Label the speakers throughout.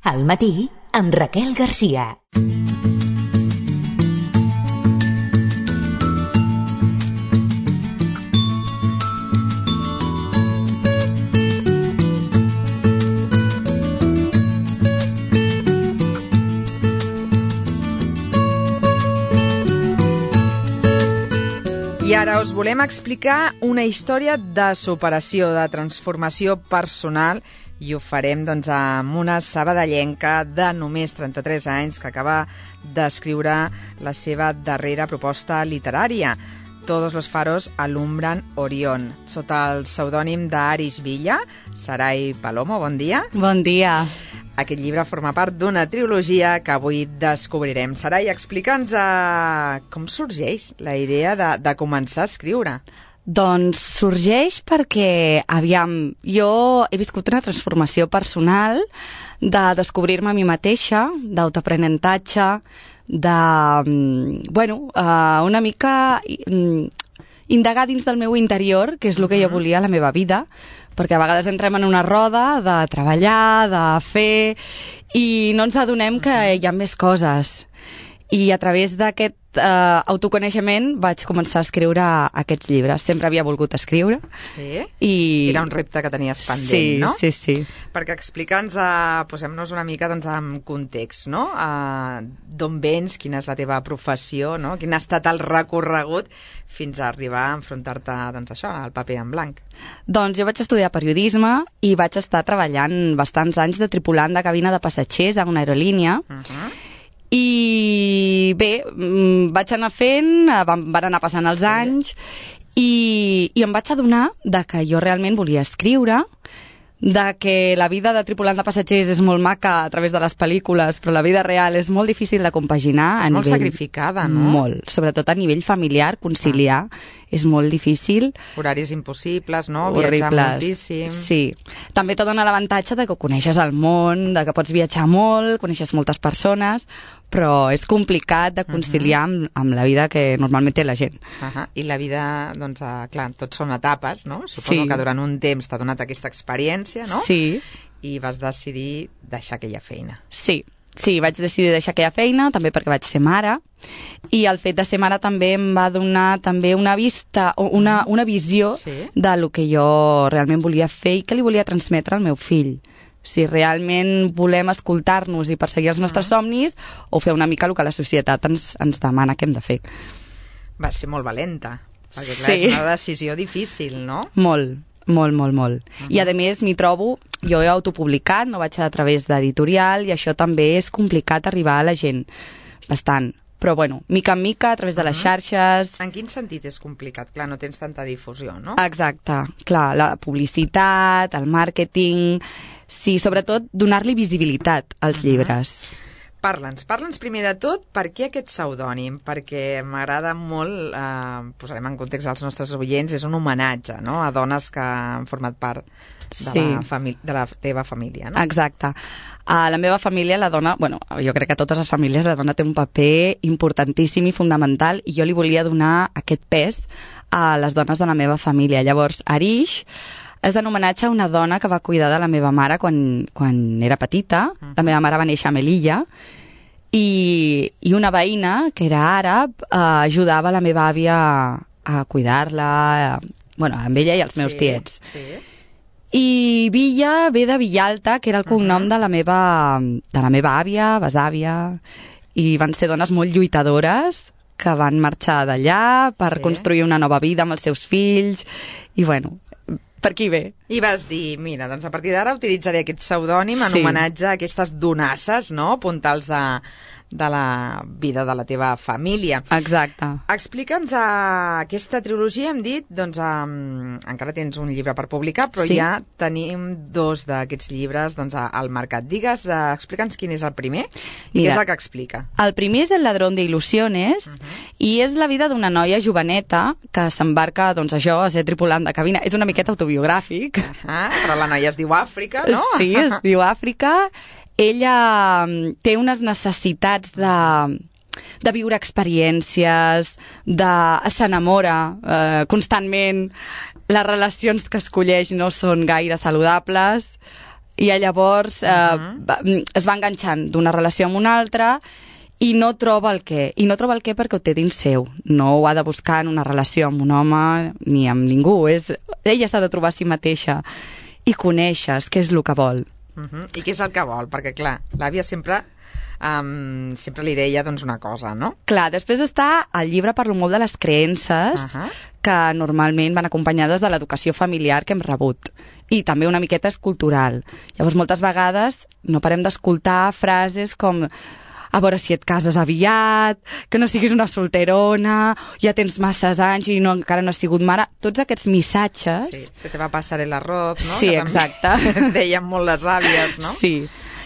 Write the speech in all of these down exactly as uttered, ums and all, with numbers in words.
Speaker 1: Al matí, amb Raquel Garcia.
Speaker 2: I ara us volem explicar una història de superació, de transformació personal, i ho farem doncs, amb una sabadellenca de només trenta-tres anys que acaba d'escriure la seva darrera proposta literària. Todos los faros alumbran Orión, sota el pseudònim d'Arish Villa. Sarai Palomo, bon dia.
Speaker 3: Bon dia.
Speaker 2: Aquest llibre forma part d'una trilogia que avui descobrirem. Sarai, explica'ns uh, com sorgeix la idea de, de començar a escriure.
Speaker 3: Doncs sorgeix perquè, aviam, jo he viscut una transformació personal de descobrir-me a mi mateixa, d'autoaprenentatge, de, bueno, uh, una mica um, indagar dins del meu interior, que és el que jo volia a la meva vida, perquè a vegades entrem en una roda de treballar, de fer, i no ens adonem que hi ha més coses. I a través d'aquest uh, autoconeixement vaig començar a escriure aquests llibres. Sempre havia volgut escriure.
Speaker 2: Sí?
Speaker 3: I...
Speaker 2: Era un repte que tenies pendent,
Speaker 3: sí,
Speaker 2: no?
Speaker 3: Sí, sí.
Speaker 2: Perquè explica'ns, uh, posem-nos una mica doncs, en context, no? Uh, d'on vens, quina és la teva professió, no? Quin ha estat el recorregut fins a arribar a enfrontar-te, doncs això, al paper en blanc.
Speaker 3: Doncs jo vaig estudiar periodisme i vaig estar treballant bastants anys de tripulant de cabina de passatgers a una aerolínia. Uh-huh. I bé, vaig anar fent, van, van anar passant els anys i, i em vaig adonar de que jo realment volia escriure, de que la vida de tripulant de passatgers és molt maca a través de les pel·lícules, però la vida real és molt difícil de compaginar.
Speaker 2: És
Speaker 3: a
Speaker 2: molt
Speaker 3: nivell,
Speaker 2: sacrificada, no?
Speaker 3: Molt, sobretot a nivell familiar, conciliar, ah. és molt difícil.
Speaker 2: Horaris impossibles, no?
Speaker 3: Horribles.
Speaker 2: Viatjar moltíssim.
Speaker 3: Sí. També te dona l'avantatge de que coneixes el món, de que pots viatjar molt, coneixes moltes persones, però és complicat de conciliar uh-huh. amb, amb la vida que normalment té la gent.
Speaker 2: Uh-huh. I la vida, doncs, uh, clar, tots són etapes, no? Suposo
Speaker 3: sí.
Speaker 2: que durant un temps t'ha donat aquesta experiència, no?
Speaker 3: Sí.
Speaker 2: I vas decidir deixar aquella feina.
Speaker 3: Sí, sí, vaig decidir deixar aquella feina, també perquè vaig ser mare, i el fet de ser mare també em va donar també una vista, una, una visió sí. de lo que jo realment volia fer i que li volia transmetre al meu fill. Si realment volem escoltar-nos i perseguir els nostres uh-huh. somnis, o fer una mica el que la societat ens, ens demana que hem de fer.
Speaker 2: Va ser molt valenta, perquè clar,
Speaker 3: sí.
Speaker 2: és una decisió difícil, no?
Speaker 3: Molt, molt, molt, molt. Uh-huh. I a més m'hi trobo, jo he autopublicat, no vaig a través d'editorial, i això també és complicat arribar a la gent, bastant. Però bueno, mica en mica, a través de les xarxes...
Speaker 2: En quin sentit és complicat? Clar, no tens tanta difusió, no?
Speaker 3: Exacte, clar, la publicitat, el màrqueting... Sí, sobretot donar-li visibilitat als uh-huh. llibres.
Speaker 2: Parla'ns, parla'ns primer de tot per què aquest pseudònim, perquè m'agrada molt, eh, posarem en context als nostres oients, és un homenatge, no?, a dones que han format part de, sí. la, famí- de la teva família, no?
Speaker 3: Exacte. A la meva família, la dona, bueno, jo crec que a totes les famílies la dona té un paper importantíssim i fundamental, i jo li volia donar aquest pes a les dones de la meva família. Llavors, Arish és en homenatge a una dona que va cuidar de la meva mare quan, quan era petita. Uh-huh. La meva mare va néixer a Melilla i, i una veïna, que era àrab, eh, ajudava la meva àvia a cuidar-la, eh, bueno, amb ella i els meus sí, tiets. Sí. I Villa ve de Villalta, que era el cognom uh-huh. de la meva, de la meva àvia, besàvia, i van ser dones molt lluitadores que van marxar d'allà per sí. construir una nova vida amb els seus fills, i bueno... per aquí ve.
Speaker 2: I vas dir, mira, doncs a partir d'ara utilitzaré aquest pseudònim en sí. homenatge a aquestes donasses, no?, puntals de, de la vida de la teva família.
Speaker 3: Exacte.
Speaker 2: Explica'ns uh, aquesta trilogia, hem dit, doncs um, encara tens un llibre per publicar, però sí. ja tenim dos d'aquests llibres doncs, al mercat. Digues, uh, explica'ns quin és el primer i Mira, què és el que explica.
Speaker 3: El primer és El ladrón de ilusiones uh-huh. i és la vida d'una noia joveneta que s'embarca, doncs això, a ser tripulant de cabina. És una miqueta autobiogràfic.
Speaker 2: Uh-huh. Però la noia es diu Àfrica, no?
Speaker 3: Sí, es diu Àfrica. Ella té unes necessitats de, de viure experiències, de s'enamora eh, constantment, les relacions que escolleix no són gaire saludables I llavors eh, uh-huh. va, es va enganxant d'una relació amb una altra i no troba el què. I no troba el què perquè ho té dins seu. No ho ha de buscar en una relació amb un home ni amb ningú. És, ella s'ha de trobar a si mateixa i conèixer què és el que vol.
Speaker 2: Uh-huh. I què és el que vol? Perquè, clar, l'àvia sempre... Um, sempre li deia doncs, una cosa, no?
Speaker 3: Clar, després està el llibre parlo molt de les creences uh-huh. que normalment van acompanyades de l'educació familiar que hem rebut i també una miqueta és cultural. Llavors moltes vegades no parem d'escoltar frases com a veure si et cases aviat, que no siguis una solterona, ja tens masses anys i no, encara no has sigut mare. Tots aquests missatges...
Speaker 2: Sí, se te va passar el arroz, no?
Speaker 3: Sí,
Speaker 2: que
Speaker 3: exacte.
Speaker 2: Deien molt les àvies, no?
Speaker 3: Sí.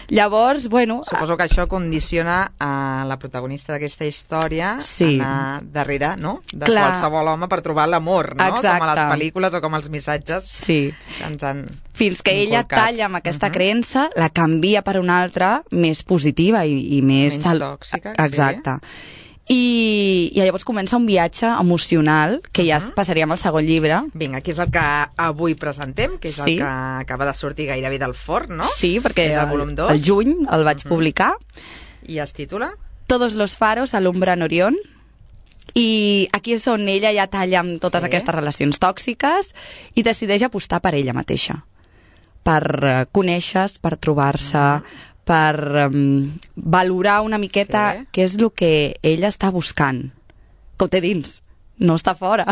Speaker 3: Llavors, bueno...
Speaker 2: Suposo que això condiciona a la protagonista d'aquesta història
Speaker 3: sí.
Speaker 2: anar darrere, no? De
Speaker 3: Clar.
Speaker 2: qualsevol home per trobar l'amor, no?
Speaker 3: Exacte.
Speaker 2: Com a les pel·lícules o com els missatges
Speaker 3: sí.
Speaker 2: que ens han
Speaker 3: Fins que ella
Speaker 2: inculcat.
Speaker 3: talla amb aquesta uh-huh. creença, la canvia per una altra més positiva i, i més...
Speaker 2: Menys
Speaker 3: sal...
Speaker 2: tòxica.
Speaker 3: Exacte. Sí. I, I llavors comença un viatge emocional que ja uh-huh. passaríem al segon llibre.
Speaker 2: Vinga, que és el que avui presentem, que és sí. el que acaba de sortir gairebé del forn, no?
Speaker 3: Sí, perquè
Speaker 2: és el, volum dos.
Speaker 3: el juny el vaig uh-huh. publicar.
Speaker 2: I es titula?
Speaker 3: Todos los faros alumbran Orión. I aquí és on ella ja talla amb totes sí. aquestes relacions tòxiques i decideix apostar per ella mateixa. Per uh, conèixer-se, per trobar-se... Uh-huh. per um, valorar una miqueta sí. què és el que ella està buscant, que ho té dins, no està fora.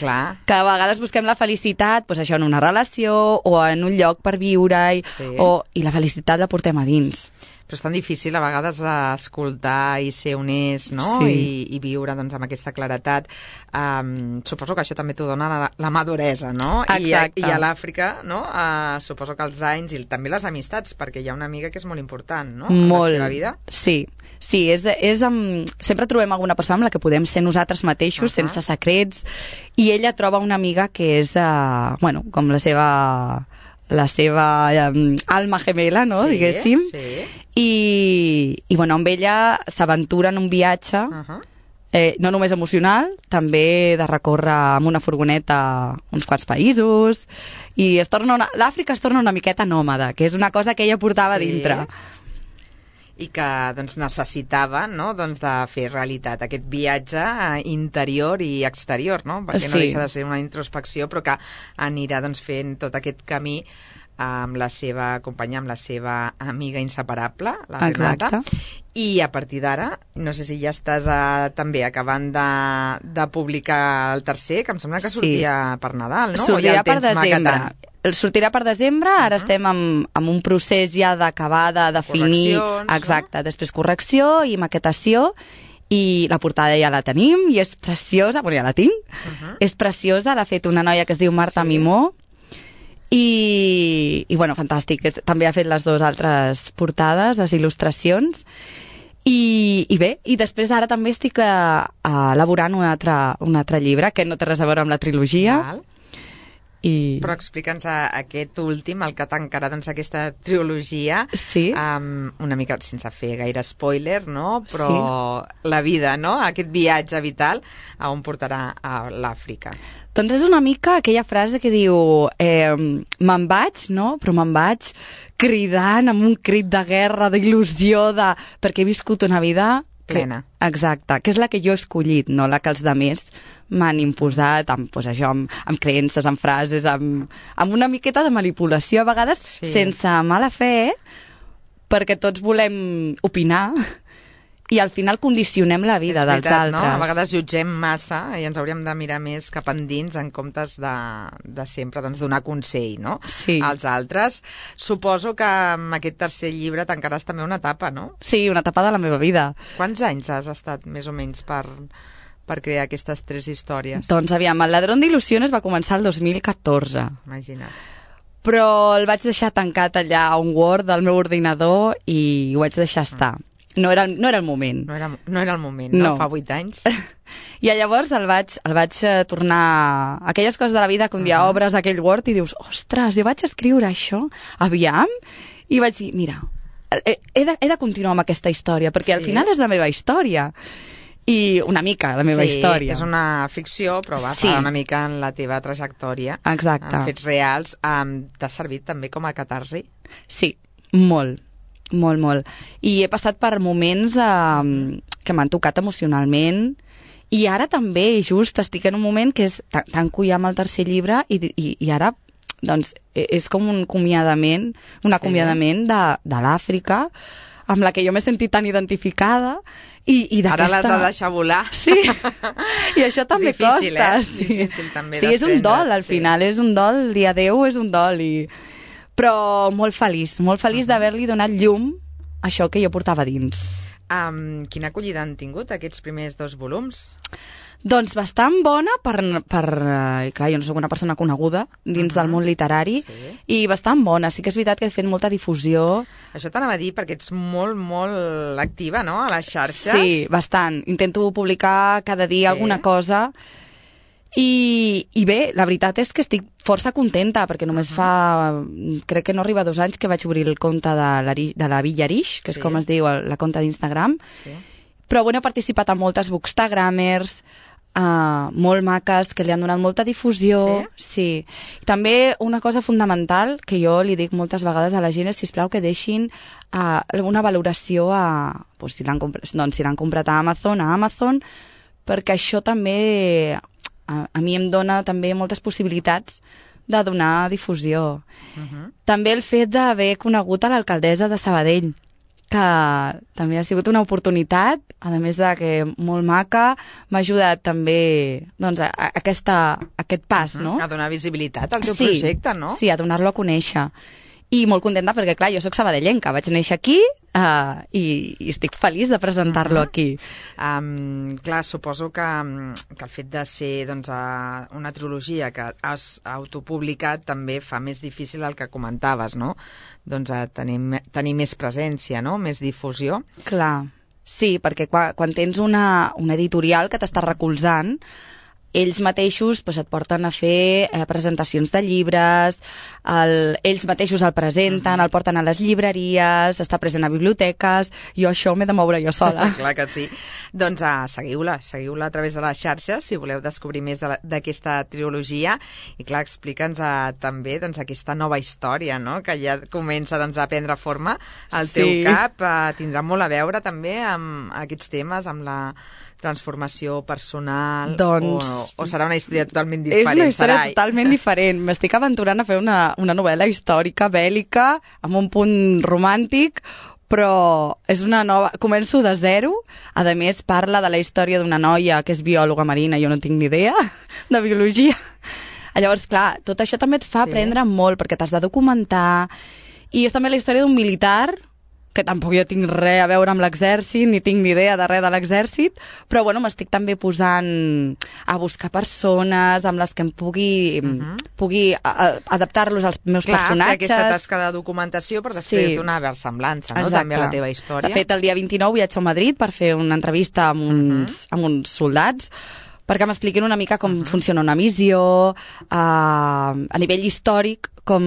Speaker 2: Clar.
Speaker 3: Que a vegades busquem la felicitat doncs això, en una relació o en un lloc per viure-hi, sí. o, i la felicitat la portem a dins.
Speaker 2: Però és tan difícil a vegades escoltar i ser honest, no?
Speaker 3: Sí.
Speaker 2: I, i viure doncs, amb aquesta claretat. Um, suposo que això també t'ho dona la, la maduresa, no?
Speaker 3: Exacte.
Speaker 2: I, I a l'Àfrica, no? Uh, suposo que els anys i també les amistats, perquè hi ha una amiga que és molt important, no?
Speaker 3: Molt.
Speaker 2: En la seva vida.
Speaker 3: Sí. Sí, és, és amb... sempre trobem alguna persona amb la que podem ser nosaltres mateixos, uh-huh. sense secrets, i ella troba una amiga que és, uh, bueno, com la seva... la seva um, alma gemela, no?
Speaker 2: Sí,
Speaker 3: diguéssim.
Speaker 2: Sí.
Speaker 3: I, i bueno, amb ella s'aventura en un viatge uh-huh. eh, no només emocional, també de recórrer amb una furgoneta uns quants països, i es torna una... l'Àfrica es torna una miqueta nòmada, que és una cosa que ella portava
Speaker 2: sí.
Speaker 3: dintre.
Speaker 2: I que doncs, necessitava, no? doncs, de fer realitat aquest viatge interior i exterior, no? perquè
Speaker 3: sí.
Speaker 2: no deixa de ser una introspecció, però que anirà doncs, fent tot aquest camí amb la seva companya, amb la seva amiga inseparable, la Renata. I a partir d'ara, no sé si ja estàs a, també acabant de, de publicar el tercer, que em sembla que sortia sí. per Nadal, no?
Speaker 3: Sortirà per desembre. El sortirà per desembre, ara uh-huh. estem en, en un procés ja d'acabar de definir... Exacte, no? Després correcció i maquetació, i la portada ja la tenim, i és preciosa, bueno, ja la tinc, uh-huh. és preciosa, l'ha fet una noia que es diu Marta sí. Mimó, i, i bueno, fantàstic, també ha fet les dues altres portades, les il·lustracions, i, i bé, i després ara també estic a, a elaborant un altre, un altre llibre que no té res a veure amb la trilogia.
Speaker 2: Val.
Speaker 3: I...
Speaker 2: Però explica'ns aquest últim, el que tancarà doncs, aquesta trilogia,
Speaker 3: sí.
Speaker 2: um, una mica sense fer gaire spoiler, no? Però
Speaker 3: sí.
Speaker 2: la vida, no? Aquest viatge vital a on portarà a l'Àfrica.
Speaker 3: Doncs és una mica aquella frase que diu eh, me'n vaig, no? Però me'n vaig cridant amb un crit de guerra, d'il·lusió, de... perquè he viscut una vida...
Speaker 2: plena.
Speaker 3: Que, exacte, que és la que jo he escollit, no la que els demés m'han imposat amb, doncs això, amb, amb creences, amb frases, amb, amb una miqueta de manipulació, a vegades sí. sense mala fe, perquè tots volem opinar i al final condicionem la vida
Speaker 2: veritat,
Speaker 3: dels altres.
Speaker 2: No? A vegades jutgem massa i ens hauríem de mirar més cap endins en comptes de, de sempre doncs, donar consell, no?
Speaker 3: Sí.
Speaker 2: Als altres. Suposo que amb aquest tercer llibre tancaràs també una etapa, no?
Speaker 3: Sí, una etapa de la meva vida.
Speaker 2: Quants anys has estat més o menys per, per crear aquestes tres històries?
Speaker 3: Doncs aviam, el Ladrón d'il·lusiones va començar el dos mil catorze.
Speaker 2: Imagina't.
Speaker 3: Però el vaig deixar tancat allà a un Word del meu ordinador i ho vaig deixar estar. Mm. No era, no era el moment.
Speaker 2: No era, no era el moment, no? no. Fa vuit anys.
Speaker 3: I llavors el vaig, el vaig tornar... Aquelles coses de la vida que un dia uh-huh. obres aquell Word i dius, ostres, jo vaig escriure això, aviam? I vaig dir, mira, he, he, de, he de continuar amb aquesta història, perquè sí. al final és la meva història. I una mica la meva
Speaker 2: sí,
Speaker 3: història.
Speaker 2: És una ficció, però basada sí. una mica en la teva trajectòria.
Speaker 3: Exacte.
Speaker 2: En fets reals. Um, T'ha servit també com a catarsi?
Speaker 3: Sí, molt, molt, molt. I he passat per moments eh, que m'han tocat emocionalment, i ara també, just, estic en un moment que és, tanco ja amb el tercer llibre i, i, i ara, doncs, és com un acomiadament, un acomiadament de, de l'Àfrica, amb la que jo m'he sentit tan identificada, i, i
Speaker 2: ara l'has de deixar volar.
Speaker 3: Sí, i això també
Speaker 2: difícil,
Speaker 3: costa.
Speaker 2: Eh?
Speaker 3: Sí.
Speaker 2: Difícil també
Speaker 3: sí, és un dol, al
Speaker 2: sí.
Speaker 3: final, és un dol, el dia deu és un dol, i... però molt feliç, molt feliç uh-huh. d'haver-li donat llum a això que jo portava dins.
Speaker 2: Um, quina acollida han tingut aquests primers dos volums?
Speaker 3: Doncs bastant bona per... per eh, clar, jo no soc una persona coneguda dins uh-huh. del món literari, sí. i bastant bona. Sí que és veritat que he fet molta difusió.
Speaker 2: Això t'anava a dir perquè ets molt, molt activa, no?, a les xarxes.
Speaker 3: Sí, bastant. Intento publicar cada dia sí. alguna cosa. I, I bé, la veritat és que estic força contenta, perquè només uh-huh. fa... crec que no arriba a dos anys que vaig obrir el compte de la, de la Villa Arish, que sí. és com es diu la compte d'Instagram. Sí. Però bueno, he participat en moltes bookstagramers, uh, molt maques, que li han donat molta difusió. Sí? Sí. I també una cosa fundamental que jo li dic moltes vegades a la gent és, sisplau, que deixin uh, una valoració a... Pues, si l'han comprat, doncs, si l'han comprat a Amazon, a Amazon, perquè això també... A, a mi em dona també moltes possibilitats de donar difusió. Uh-huh. També el fet d'haver conegut a l'alcaldessa de Sabadell, que també ha sigut una oportunitat, a més de que molt maca, m'ha ajudat també doncs, a, a aquesta, a aquest pas, uh-huh. no?
Speaker 2: A donar visibilitat al teu
Speaker 3: sí,
Speaker 2: projecte, no?
Speaker 3: Sí, a donar-lo a conèixer. I molt contenta perquè, clar, jo soc sabadellenca, vaig néixer aquí uh, i, i estic feliç de presentar-lo uh-huh. aquí.
Speaker 2: Um, clar, suposo que, que el fet de ser doncs, uh, una trilogia que has autopublicat també fa més difícil el que comentaves, no? Doncs uh, tenir, tenir més presència, no? Més difusió.
Speaker 3: Clar, sí, perquè quan, quan tens una, una editorial que t'està recolzant, ells mateixos pues, et porten a fer eh, presentacions de llibres, el, ells mateixos el presenten, uh-huh. el porten a les llibreries, està present a biblioteques, jo això m'he de moure jo sola.
Speaker 2: Clar que sí. Doncs uh, seguiu-la, seguiu-la a través de les xarxes si voleu descobrir més d'aquesta de trilogia, i clar, explica'ns uh, també doncs, aquesta nova història, no?, que ja comença doncs, a prendre forma al teu sí. cap, uh, tindrà molt a veure també amb aquests temes, amb la transformació personal, doncs, o, o serà una història totalment diferent?
Speaker 3: És una història
Speaker 2: Sarai.
Speaker 3: totalment diferent. M'estic aventurant a fer una, una novel·la històrica, bèl·lica, amb un punt romàntic, però és una nova... Començo de zero, a més parla de la història d'una noia que és biòloga marina, jo no tinc ni idea de biologia. Llavors, clar, tot això també et fa sí. aprendre molt, perquè t'has de documentar, i és també la història d'un militar, que tampoc jo tinc res a veure amb l'exèrcit, ni tinc ni idea de res de l'exèrcit, però bueno, m'estic també posant a buscar persones amb les que em pugui, uh-huh. pugui adaptar-los als meus
Speaker 2: Clar,
Speaker 3: personatges.
Speaker 2: Clar, fer aquesta tasca de documentació per després sí. donar versemblança, no? També a la teva història.
Speaker 3: De fet, el dia vint-i-nou viatjo a Madrid per fer una entrevista amb uns, uh-huh. amb uns soldats, perquè m'expliquin una mica com uh-huh. funciona una missió, uh, a nivell històric, com...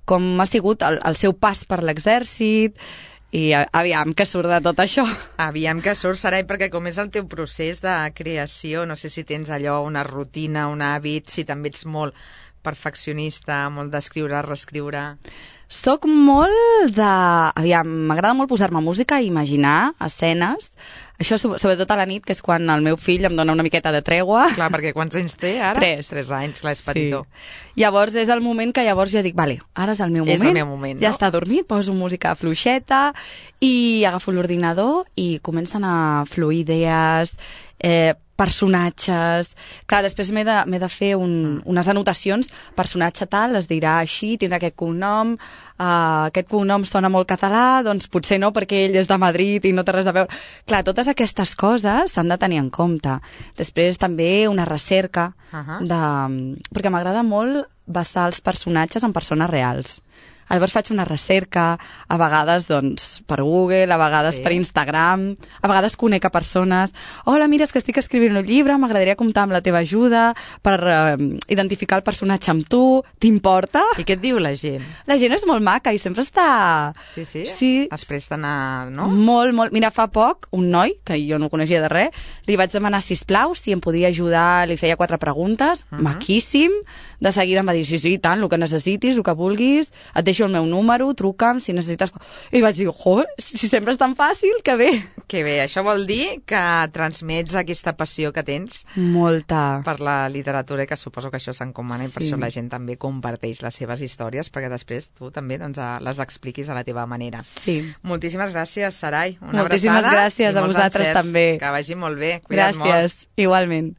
Speaker 3: com ha sigut el, el seu pas per l'exèrcit, i aviam que surt de tot això.
Speaker 2: Aviam que surt, Sarai, perquè com és el teu procés de creació, no sé si tens allò, una rutina, un hàbit, si també ets molt perfeccionista, molt d'escriure, reescriure...
Speaker 3: Soc molt de... Aviam, m'agrada molt posar-me música i imaginar escenes. Això sobretot a la nit, que és quan el meu fill em dona una miqueta de tregua.
Speaker 2: Clar, perquè quants anys té ara?
Speaker 3: Tres.
Speaker 2: Tres anys, clar, és petitó.
Speaker 3: Sí. Llavors és el moment que llavors jo dic, vale, ara és el meu moment.
Speaker 2: És el meu moment,
Speaker 3: ja
Speaker 2: no?
Speaker 3: està dormit, poso música fluixeta i agafo l'ordinador i comencen a fluir idees, eh, personatges... Clar, després m'he de, m'he de fer un, unes anotacions, personatge tal, es dirà així, tindrà aquest cognom, uh, aquest cognom sona molt català, doncs potser no, perquè ell és de Madrid i no té res a veure... Clar, totes aquestes coses s'han de tenir en compte. Després també una recerca, uh-huh. de... perquè m'agrada molt basar els personatges en persones reals. Llavors faig una recerca, a vegades doncs, per Google, a vegades sí. per Instagram, a vegades conec a persones. Hola, mira, és que estic escrivint un llibre, m'agradaria comptar amb la teva ajuda per uh, identificar el personatge amb tu, t'importa?
Speaker 2: I què et diu la gent?
Speaker 3: La gent és molt maca i sempre està...
Speaker 2: Sí, sí?
Speaker 3: Sí.
Speaker 2: Es presten a... no?
Speaker 3: Molt, molt. Mira, fa poc, un noi, que jo no coneixia de res, li vaig demanar, sisplau, si em podia ajudar, li feia quatre preguntes, uh-huh. maquíssim, de seguida em va dir, sí, sí, tant, el que necessitis, el que vulguis, et deixo deixo el meu número, truca'm si necessites... I vaig dir, jo, si sempre és tan fàcil, que bé.
Speaker 2: Que bé, això vol dir que transmets aquesta passió que tens
Speaker 3: Molta.
Speaker 2: per la literatura i que suposo que això s'encomana i per
Speaker 3: Sí.
Speaker 2: això la gent també comparteix les seves històries perquè després tu també doncs, les expliquis a la teva manera.
Speaker 3: Sí.
Speaker 2: Moltíssimes gràcies, Sarai. Una
Speaker 3: Moltíssimes
Speaker 2: abraçada
Speaker 3: gràcies
Speaker 2: i
Speaker 3: a
Speaker 2: molts
Speaker 3: vosaltres
Speaker 2: encerts.
Speaker 3: també.
Speaker 2: Que vagi molt bé. Cuida't
Speaker 3: Gràcies,
Speaker 2: molt.
Speaker 3: igualment.